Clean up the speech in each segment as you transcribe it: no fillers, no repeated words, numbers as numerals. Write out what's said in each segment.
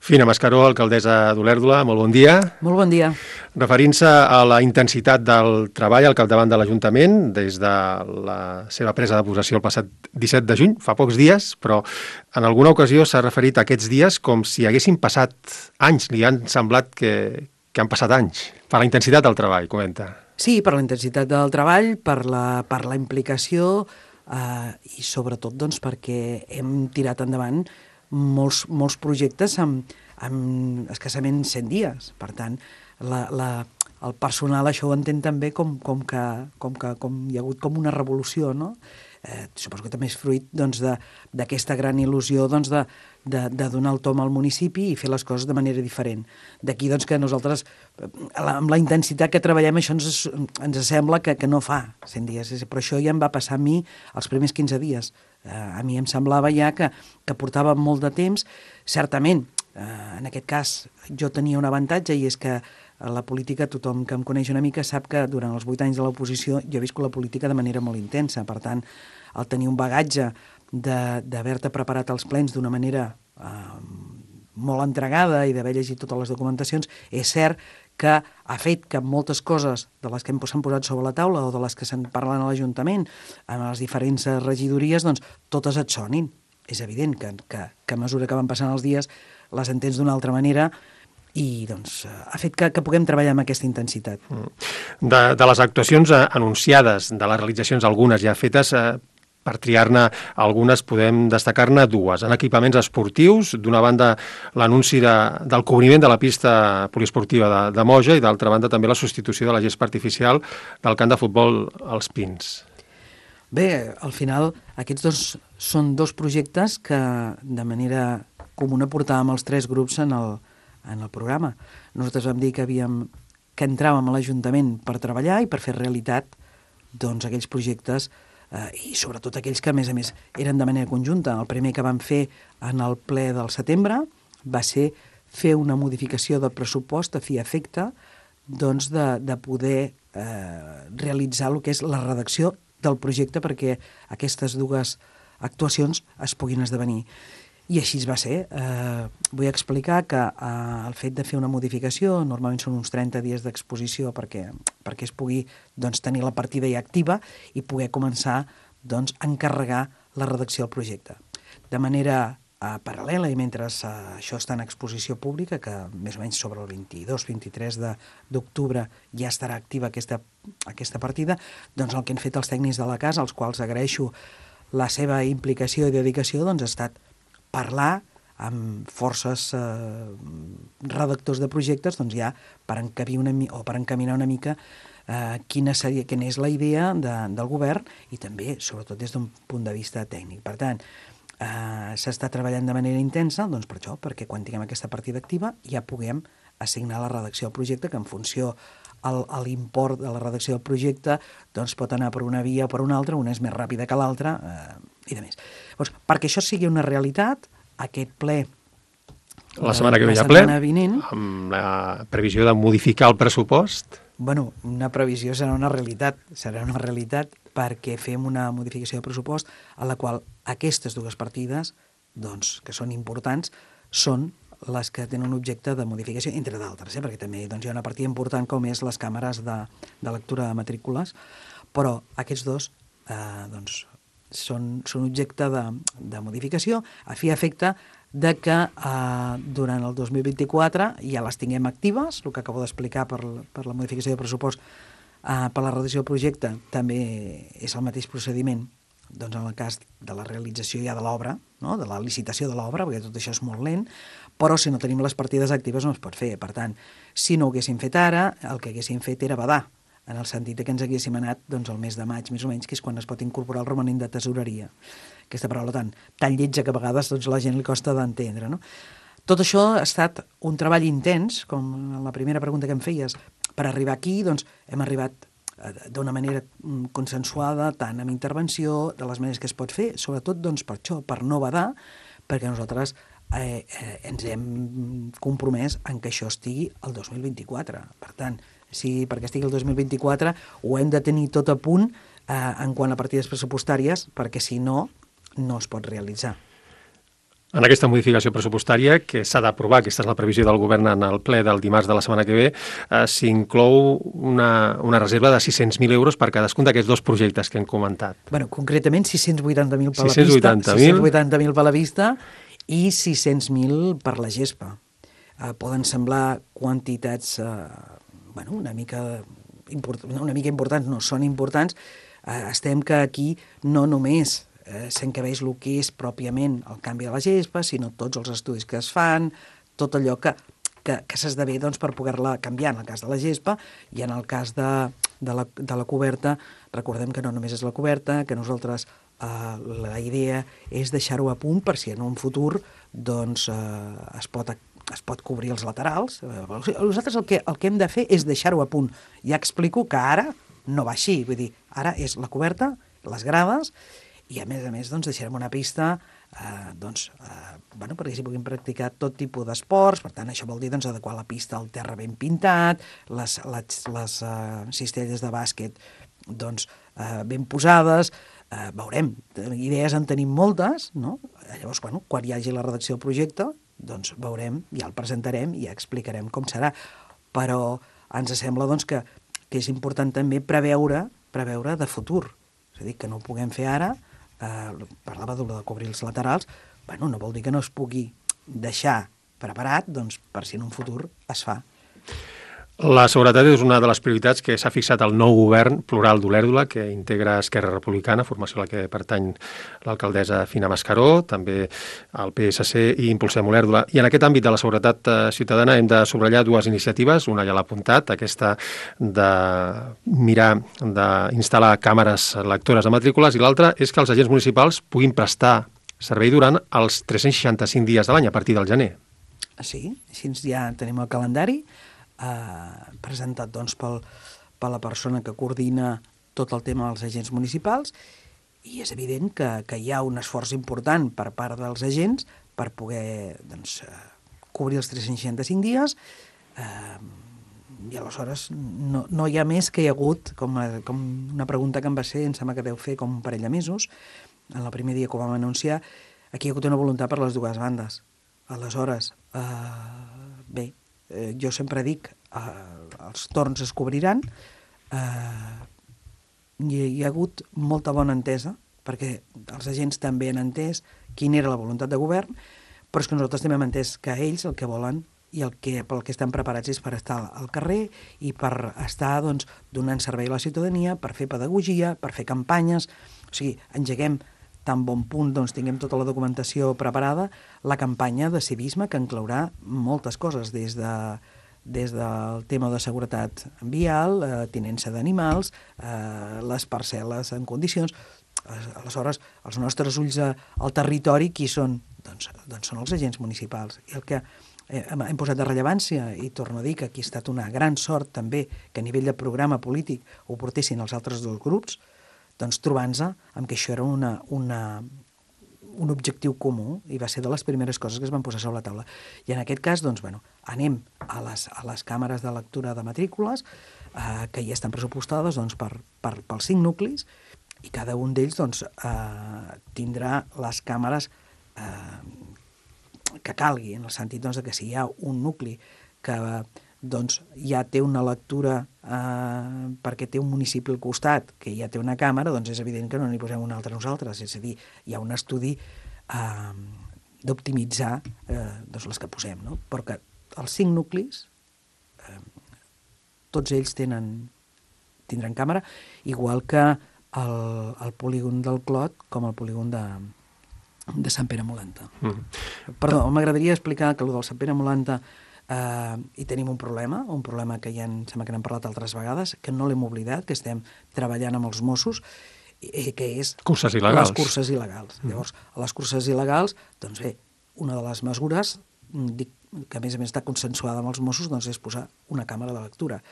Fina Mascaró, alcaldessa d'Olèrdola, molt bon dia. Molt bon dia. Referint-se a la intensitat del treball al capdavant de l'Ajuntament, des de la seva presa de possessió el passat 17 de juny, fa pocs dies, però en alguna ocasió s'ha referit a aquests dies com si haguessin passat anys, li han semblat que han passat anys, per la intensitat del treball, comenta. Sí, per la intensitat del treball, per la implicació i sobretot doncs, perquè hem tirat endavant molts projectes amb escassament 100 dies. Per tant, el personal això ho entén també com hi ha hagut com una revolució, no? Suposo que també és fruit d'aquesta gran il·lusió de donar el tom al municipi i fer les coses de manera diferent. D'aquí que nosaltres, amb la intensitat que treballem, això ens sembla que no fa 100 dies, però això ja em va passar a mi els primers 15 dies. A mi em semblava ja que portava molt de temps. Certament, en aquest cas, jo tenia un avantatge i és que la política, tothom que em coneix una mica sap que durant els 8 anys de l'oposició jo he viscut la política de manera molt intensa. Per tant, el tenir un bagatge d'haver-te preparat els plens d'una manera molt entregada i d'haver llegit totes les documentacions, és cert que ha fet que moltes coses de les que s'han posat sobre la taula o de les que se'n parlen a l'Ajuntament, en les diferents regidories, doncs totes et sonin. És evident que a mesura que van passant els dies les entens d'una altra manera i doncs ha fet que puguem treballar amb aquesta intensitat. De les actuacions anunciades, de les realitzacions algunes ja fetes, per triar-ne algunes podem destacar-ne dues. En equipaments esportius, d'una banda l'anunci del cobriment de la pista poliesportiva de Moja i d'altra banda també la substitució de la gespa artificial del camp de futbol als Pins. Bé, al final aquests dos són dos projectes que de manera comuna portàvem els 3 grups en el programa. Nosaltres vam dir que entràvem a l'Ajuntament per treballar i per fer realitat doncs, aquells projectes i sobretot aquells que, a més, eren de manera conjunta. El primer que vam fer en el ple del setembre va ser fer una modificació del pressupost a fi i efecte doncs, de poder realitzar el que és la redacció del projecte perquè aquestes dues actuacions es puguin esdevenir. I així va ser. Vull explicar que el fet de fer una modificació, normalment són uns 30 dies d'exposició perquè es pugui tenir la partida ja activa i poder començar a encarregar la redacció del projecte. De manera paral·lela i mentre això està en exposició pública, que més o menys sobre el 22-23 d'octubre ja estarà activa aquesta partida, doncs el que han fet els tècnics de la casa, als quals agraeixo la seva implicació i dedicació, doncs ha estat parlar amb forces redactors de projectes ja per encaminar una mica quina és la idea del govern i també, sobretot, des d'un punt de vista tècnic. Per tant, s'està treballant de manera intensa per això, perquè quan tinguem aquesta partida activa ja puguem assignar la redacció del projecte, que en funció a l'import de la redacció del projecte pot anar per una via o per una altra, una és més ràpida que l'altra i de més. Perquè això sigui una realitat, aquest ple la setmana que ve hi ha ple, amb la previsió de modificar el pressupost. Bueno, una previsió serà una realitat perquè fem una modificació de pressupost a la qual aquestes dues partides, que són importants, són les que tenen un objecte de modificació, entre d'altres, perquè també hi ha una partida important com és les càmeres de lectura de matrícules, però aquests dos són objecte de modificació a fi i efecte de que durant el 2024 ja les tinguem actives, el que acabo d'explicar per la modificació de pressupost per la redacció del projecte també és el mateix procediment en el cas de la realització ja de l'obra, no? De la licitació de l'obra, perquè tot això és molt lent, però si no tenim les partides actives no es pot fer. Per tant, si no ho haguéssim fet ara, el que haguéssim fet era badar, en el sentit que ens haguéssim anat al mes de maig, més o menys, que és quan es pot incorporar el romanent de tesoreria. Aquesta paraula tan lletja que a vegades la gent li costa d'entendre, no? Tot això ha estat un treball intens, com en la primera pregunta que em feies. Per arribar aquí, hem arribat d'una manera consensuada, tant amb intervenció, de les maneres que es pot fer, sobretot per això, per no badar, perquè nosaltres ens hem compromès en que això estigui el 2024. Per tant, perquè estigui el 2024 ho hem de tenir tot a punt en quant a partides pressupostàries, perquè si no, no es pot realitzar. En aquesta modificació pressupostària, que s'ha d'aprovar, aquesta és la previsió del govern en el ple del dimarts de la setmana que ve, s'inclou una reserva de 600.000 euros per cadascun d'aquests dos projectes que hem comentat. Bueno, concretament 680.000 per la pista, 680.000 per la vista i 600.000 per la gespa. Poden semblar quantitats una mica importants, no són importants. Estem que aquí no només s'encabeix el que és pròpiament el canvi de la gespa, sinó tots els estudis que es fan, tot allò que s'esdevé per poder-la canviar en el cas de la gespa, i en el cas de la coberta, recordem que no només és la coberta, que nosaltres la idea és deixar-ho a punt per si en un futur es pot cobrir els laterals. Nosaltres el que hem de fer és deixar-ho a punt. Ja explico que ara no va així, vull dir, ara és la coberta, les grades, i a més deixarem una pista perquè s'hi puguin practicar tot tipus d'esports. Per tant, això vol dir adequar la pista al terra ben pintat, les cistelles de bàsquet ben posades. Veurem, idees en tenim moltes, no? Llavors, quan hi hagi la redacció del projecte, veurem, ja el presentarem i ja explicarem com serà. Però ens sembla que és important també preveure de futur. És a dir, que no ho puguem fer ara. Parlava de cobrir els laterals, no vol dir que no es pugui deixar preparat per si en un futur es fa. La seguretat és una de les prioritats que s'ha fixat el nou govern plural d'Olèrdola, que integra Esquerra Republicana, formació a la que pertany l'alcaldessa Fina Mascaró, també el PSC i Impulsem Olèrdola. I en aquest àmbit de la seguretat ciutadana hem de subratllar dues iniciatives, una ja l'ha apuntat, aquesta de mirar d'instal·lar càmeres lectores de matrícules, i l'altra és que els agents municipals puguin prestar servei durant els 365 dies de l'any, a partir del gener. Sí, així ja tenim el calendari, presentat per la persona que coordina tot el tema dels agents municipals, i és evident que hi ha un esforç important per part dels agents per poder cobrir els 365 dies, i aleshores no hi ha més que hi ha hagut, com una pregunta que em va ser, em sembla que deu fer com un parell de mesos, en el primer dia que ho vam anunciar, aquí hi ha hagut una voluntat per les dues bandes. Aleshores, bé, jo sempre dic, els torns es cobriran, hi ha hagut molta bona entesa, perquè els agents també han entès quina era la voluntat de govern, però és que nosaltres també hem entès que ells el que volen i pel que estan preparats és per estar al carrer i per estar donant servei a la ciutadania, per fer pedagogia, per fer campanyes. O sigui, engeguem tan bon punt tinguem tota la documentació preparada, la campanya de civisme que inclourà moltes coses, des del tema de seguretat vial, tinença d'animals, les parcel·les en condicions. Aleshores, els nostres ulls al territori, qui són? Doncs són els agents municipals. I el que hem posat de rellevància, i torno a dir que aquí ha estat una gran sort també que a nivell de programa polític ho portessin els altres dos grups, trobant-se amb que això era un objectiu comú, i va ser de les primeres coses que es van posar sobre la taula. I en aquest cas, anem a les càmeres de lectura de matrícules, que ja estan pressupostades pels 5 nuclis, i cada un d'ells tindrà les càmeres que calgui, en el sentit que si hi ha un nucli que ja té una lectura perquè té un municipi al costat que ja té una càmera, és evident que no n'hi posem una altra nosaltres. És a dir, hi ha un estudi d'optimitzar les que posem, no? Però que els 5 nuclis, tots ells tindran càmera, igual que el polígon del Clot com el polígon de Sant Pere Molanta. Perdó, m'agradaria explicar que el del Sant Pere Molanta hi tenim un problema que ja em sembla que n'hem parlat altres vegades, que no l'hem oblidat, que estem treballant amb els Mossos, que és curses il·legals. Les curses il·legals. Llavors, a les curses il·legals, bé, una de les mesures, que a més està consensuada amb els Mossos, és posar una càmera de lectura.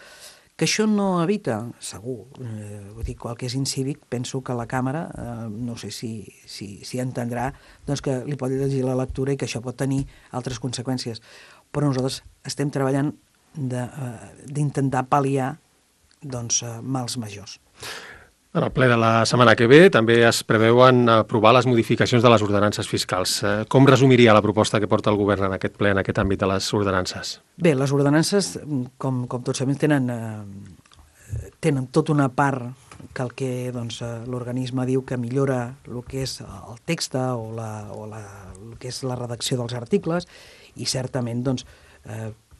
Que això no evita, segur, vull dir, qual que és incívic, penso que la càmera, no sé si entendrà, que li pot llegir la lectura i que això pot tenir altres conseqüències. Però nosaltres estem treballant d'intentar pal·liar mals majors. En el ple de la setmana que ve també es preveuen aprovar les modificacions de les ordenances fiscals. Com resumiria la proposta que porta el govern en aquest ple, en aquest àmbit de les ordenances? Bé, les ordenances, com tots sabem, tenen tota una part que doncs, l'organisme diu que millora el que és el text o el que és la redacció dels articles, i certament, doncs,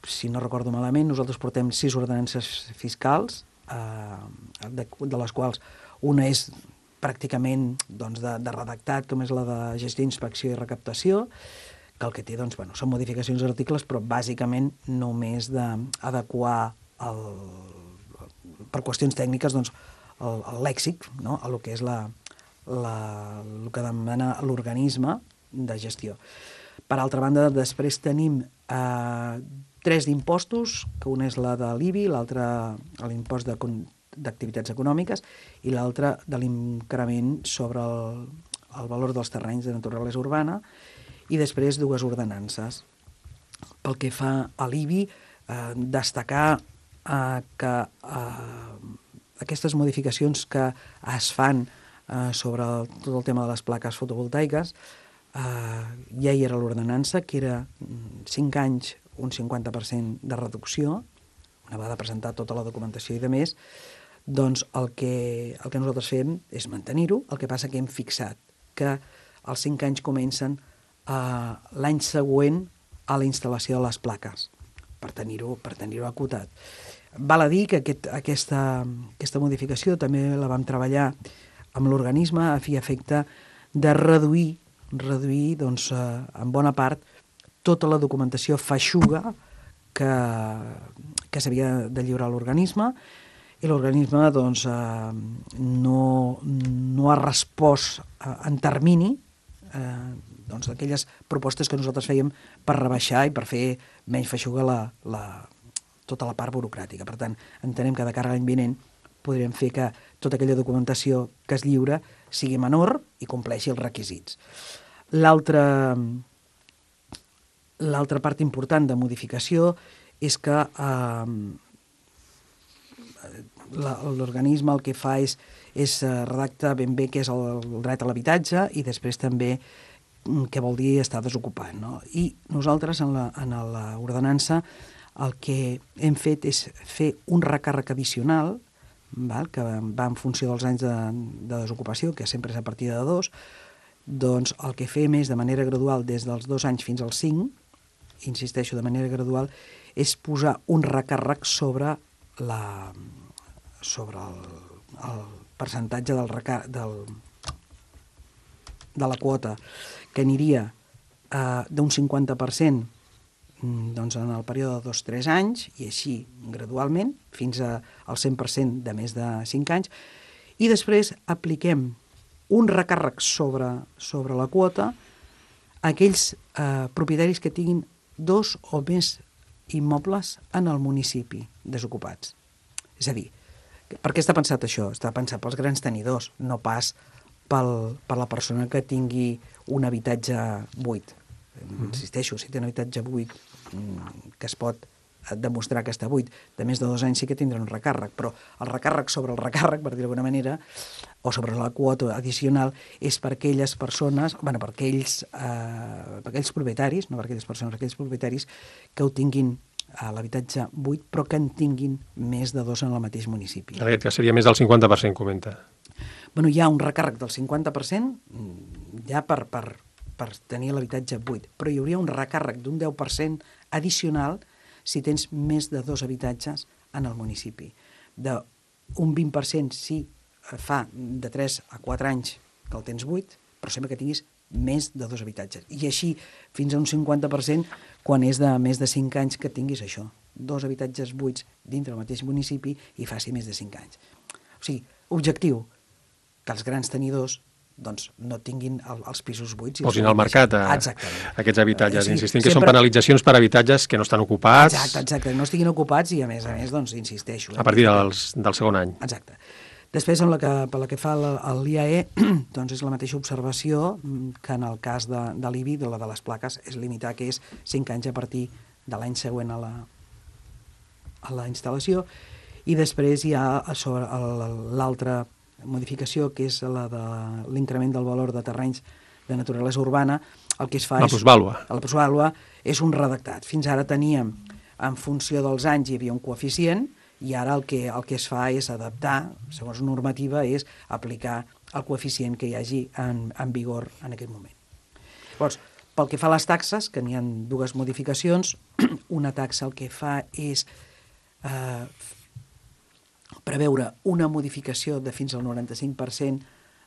si no recordo malament, nosaltres portem 6 ordenances fiscals, de les quals una és pràcticament doncs, de redactat, com és la de gestió, inspecció i recaptació, que el que té doncs, són modificacions d'articles, però bàsicament només d'adequar per qüestions tècniques doncs, el lèxic, no? A el que és el que demana l'organisme de gestió. Per altra banda, després tenim 3 d'impostos, que una és la de l'IBI, l'altra l'impost d'activitats econòmiques i l'altra de l'increment sobre el valor dels terrenys de naturalesa urbana, i després 2 ordenances. Pel que fa a l'IBI, destacar que aquestes modificacions que es fan sobre tot el tema de les plaques fotovoltaiques, ja hi era l'ordenança, que era 5 anys, un 50% de reducció, una vegada presentar tota la documentació i de més, doncs el que nosaltres fem és mantenir-ho. El que passa que hem fixat que els 5 anys comencen l'any següent a la instal·lació de les plaques, per tenir-ho acotat. Val a dir que aquesta modificació també la vam treballar amb l'organisme a fi i efecte de reduir doncs, en bona part tota la documentació feixuga que s'havia de lliurar a l'organisme, i l'organisme doncs, no ha respost en termini doncs, aquelles propostes que nosaltres fèiem per rebaixar i per fer menys feixuga tota la part burocràtica. Per tant, entenem que de cara a l'any vinent podrem fer que tota aquella documentació que es lliura sigui menor i compleixi els requisits. L'altra part important de modificació és que l'organisme el que fa és redactar ben bé què és el dret a l'habitatge i després també què vol dir estar desocupat, no? I nosaltres en l'ordenança el que hem fet és fer un recàrrec addicional, que va en funció dels anys de desocupació, que sempre és a partir de 2, doncs el que fem és de manera gradual des dels 2 anys fins als 5, insisteixo, de manera gradual, és posar un recàrrec sobre el percentatge de la quota, que aniria d'un 50% doncs, en el període de 2-3 anys, i així gradualment, fins al 100% de més de 5 anys, i després apliquem un recàrrec sobre la quota a aquells propietaris que tinguin 2 o més immobles en el municipi desocupats. És a dir, per què està pensat això? Està pensat pels grans tenidors, no pas per la persona que tingui un habitatge buit. Insisteixo, si té un habitatge buit que es pot demostrar que està buit, de més de 2 anys sí que tindrà un recàrrec, però el recàrrec sobre el recàrrec, per dir-ho d'alguna manera, o sobre la quota addicional, és per aquelles persones, per aquells propietaris, no per aquelles persones, aquells propietaris que ho tinguin a l'habitatge buit, però que en tinguin més de 2 en el mateix municipi. En aquest cas seria més del 50%, comenta. Bueno, hi ha un recàrrec del 50% ja per tenir l'habitatge buit, però hi hauria un recàrrec d'un 10% addicional si tens més de 2 habitatges en el municipi. Un 20% si fa de 3 a 4 anys que el tens buit, però sempre que tinguis més de 2 habitatges. I així fins a un 50% quan és de més de 5 anys que tinguis això, 2 habitatges buits dintre del mateix municipi i faci més de 5 anys. O sigui, objectiu, que els grans tenidors doncs, no tinguin els pisos buits. Posin al mercat aquests habitatges. Sí, insistim que són penalitzacions per habitatges que no estan ocupats. Exacte, no estiguin ocupats i a més, doncs, insisteixo. A partir del segon any. Exacte. Després, pel que fa a l'IAE, doncs és la mateixa observació que en el cas de l'IBI, de la de les plaques, és limitar que és 5 anys a partir de l'any següent a la instal·lació, i després hi ha sobre l'altre modificació, que és la de l'increment del valor de terrenys de naturalesa urbana, el que es fa La plusvàlua. La plusvàlua és un redactat. Fins ara teníem, en funció dels anys, hi havia un coeficient, i ara el que es fa és adaptar, segons normativa, és aplicar el coeficient que hi hagi en vigor en aquest moment. Llavors, pel que fa a les taxes, que n'hi ha dues modificacions, una taxa el que fa és preveure una modificació de fins al 95%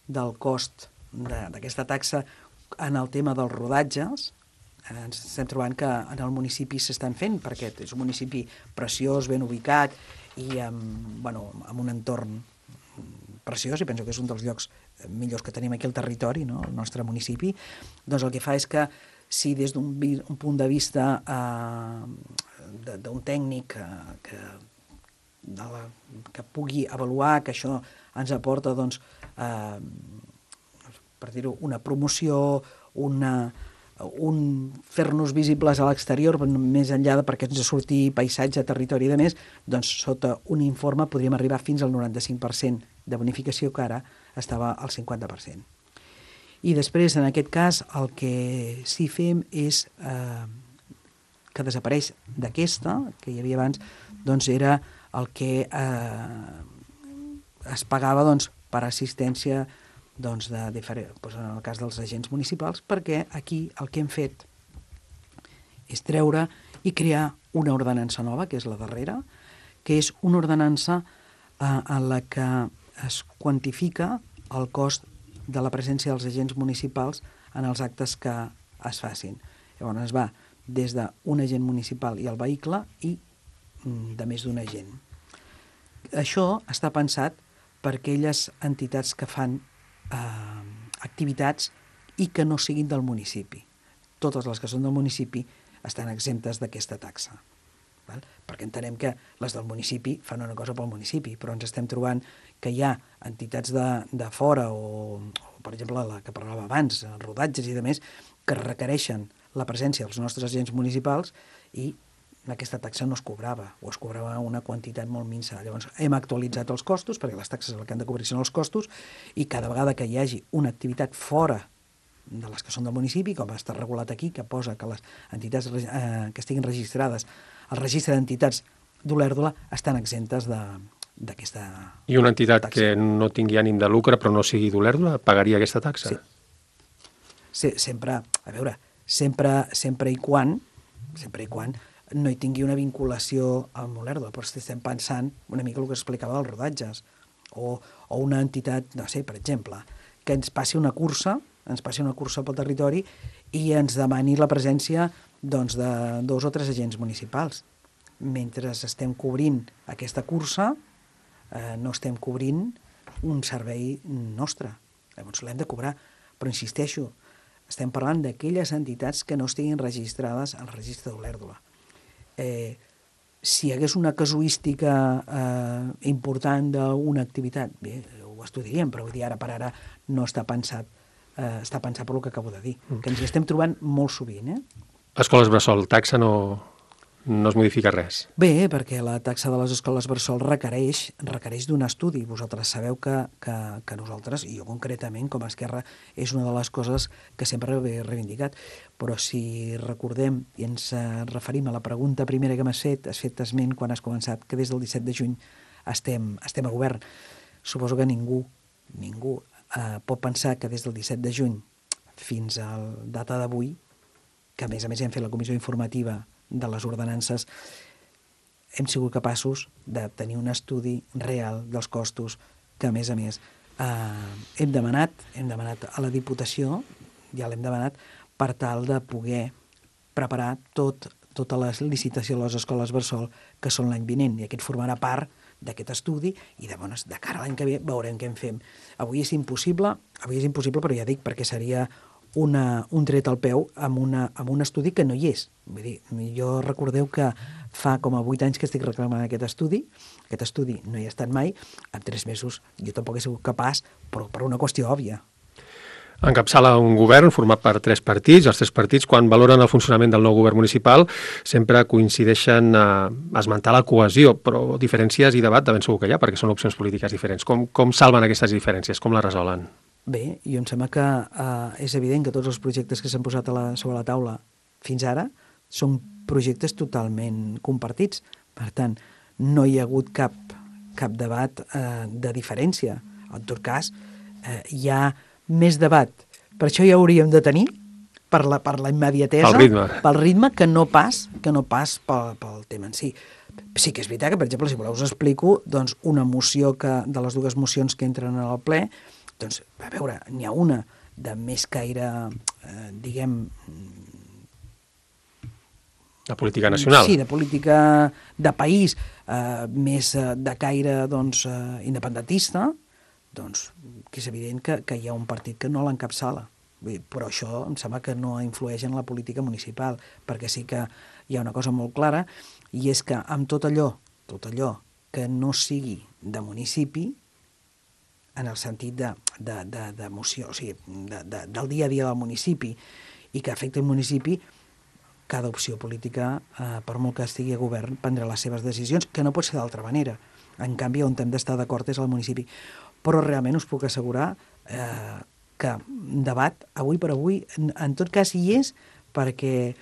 del cost d'aquesta taxa en el tema dels rodatges. Ens estem trobant que en el municipi s'estan fent, perquè és un municipi preciós, ben ubicat i amb un entorn preciós, i penso que és un dels llocs millors que tenim aquí al territori, no? El nostre municipi. Doncs el que fa és que si des d'un punt de vista d'un tècnic que pugui avaluar que això ens aporta, doncs, per dir-ho, una promoció, fer-nos visibles a l'exterior, més enllà perquè ens surti paisatge, territori i de més, doncs sota un informe podríem arribar fins al 95% de bonificació, que ara estava al 50%. I després, en aquest cas, el que sí fem és que desapareix d'aquesta, que hi havia abans, doncs era el que es pagava per assistència en el cas dels agents municipals, perquè aquí el que hem fet és treure i crear una ordenança nova, que és la darrera, que és una ordenança en la que es quantifica el cost de la presència dels agents municipals en els actes que es facin. Llavors es va des d'un agent municipal i el vehicle i de més d'un agent. Això està pensat per aquelles entitats que fan activitats i que no siguin del municipi. Totes les que són del municipi estan exemptes d'aquesta taxa. Perquè entenem que les del municipi fan una cosa pel municipi, però ens estem trobant que hi ha entitats de fora o per exemple, la que parlava abans, rodatges i demés, que requereixen la presència dels nostres agents municipals i aquesta taxa no es cobrava, o es cobrava una quantitat molt minsa. Llavors hem actualitzat els costos, perquè les taxes el que han de cobrir són els costos, i cada vegada que hi hagi una activitat fora de les que són del municipi, com està regulat aquí, que posa que les entitats que estiguin registrades al registre d'entitats d'Olèrdola estan exemptes d'aquesta taxa. I una entitat que no tingui ànim de lucre però no sigui d'Olèrdola pagaria aquesta taxa? Sí. Sempre i quan no hi tingui una vinculació amb Olèrdola, però estem pensant una mica el que explicava dels rodatges, o una entitat, no sé, per exemple, que ens passi una cursa pel territori i ens demani la presència de 2 o 3 agents municipals. Mentre estem cobrint aquesta cursa, no estem cobrint un servei nostre. Llavors l'hem de cobrar, però insisteixo, estem parlant d'aquelles entitats que no estiguin registrades al registre d'Olèrdola. Si hi hagués una casuística important d'una activitat, bé, ho estudiaríem, però vull dir, ara per ara no està pensat, està pensat per el que acabo de dir, que ens hi estem trobant molt sovint. Escoles bressol, taxa no es modifica res. Bé, perquè la taxa de les escoles bressol requereix d'un estudi. Vosaltres sabeu que nosaltres, i jo concretament com a Esquerra, és una de les coses que sempre he reivindicat. Però si recordem i ens referim a la pregunta primera que m'has fet, has fet esment quan has començat, que des del 17 de juny estem a govern. Suposo que ningú pot pensar que des del 17 de juny fins a la data d'avui, que a més hem fet la comissió informativa de les ordenances, hem sigut capaços de tenir un estudi real dels costos que, a més, hem demanat a la Diputació, ja l'hem demanat, per tal de poder preparar tota la licitació a les escoles bressol que són l'any vinent, i aquest formarà part d'aquest estudi i de cara a l'any que ve veurem què en fem. Avui és impossible, però ja dic, perquè seria un tret al peu amb un estudi que no hi és. Vull dir, jo recordeu que fa com a 8 anys que estic reclamant aquest estudi no hi ha estat mai, en 3 mesos jo tampoc he sigut capaç, però per una qüestió òbvia. Encapçala un govern format per 3 partits. Els 3 partits, quan valoren el funcionament del nou govern municipal, sempre coincideixen a esmentar la cohesió, però diferències i debat de ben segur que hi ha, perquè són opcions polítiques diferents. Com salven aquestes diferències? Com les resolen? Bé, jo em sembla que és evident que tots els projectes que s'han posat sobre la taula fins ara són projectes totalment compartits. Per tant, no hi ha hagut cap debat de diferència. En tot cas, hi ha més debat. Per això ja hauríem de tenir, per la immediatesa, pel ritme, que no pas pel tema en si. Sí que és veritat que, per exemple, si voleu us explico, doncs, una moció de les 2 mocions que entren al ple, doncs, a veure, n'hi ha una de més caire, diguem... De política nacional. Sí, de política de país, més de caire, doncs, independentista, doncs, que és evident que hi ha un partit que no l'encapçala. Però això em sembla que no influeix en la política municipal, perquè sí que hi ha una cosa molt clara, i és que amb tot allò que no sigui de municipi, en el sentit d'emoció, o sigui, del dia a dia del municipi, i que afecta el municipi, cada opció política, per molt que estigui a govern, prendrà les seves decisions, que no pot ser d'altra manera. En canvi, on hem d'estar d'acord és al municipi. Però realment us puc assegurar que debat, avui per avui, en tot cas hi és, perquè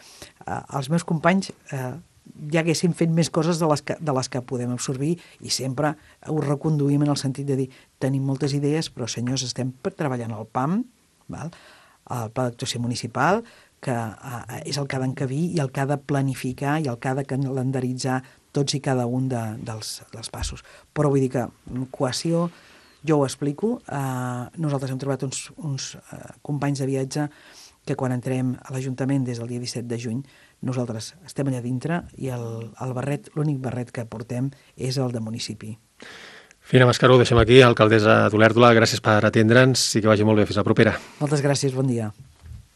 els meus companys ja haguessin fet més coses de les que podem absorbir, i sempre ho reconduïm en el sentit de dir, tenim moltes idees, però senyors, estem treballant al PAM, val? El Pla d'Actuació Municipal, que és el que ha d'encabir i el que ha de planificar i el que ha de calendaritzar tots i cada un dels passos. Però vull dir que cohesió, jo ho explico, nosaltres hem trobat uns companys de viatge que quan entrem a l'Ajuntament des del dia 17 de juny, nosaltres estem allà dintre i el barret, l'únic barret que portem és el de municipi. Fina Mascaró, deixem aquí, alcaldessa d'Olèrdola, gràcies per atendre'ns i que vagi molt bé. Fins la propera. Moltes gràcies, bon dia.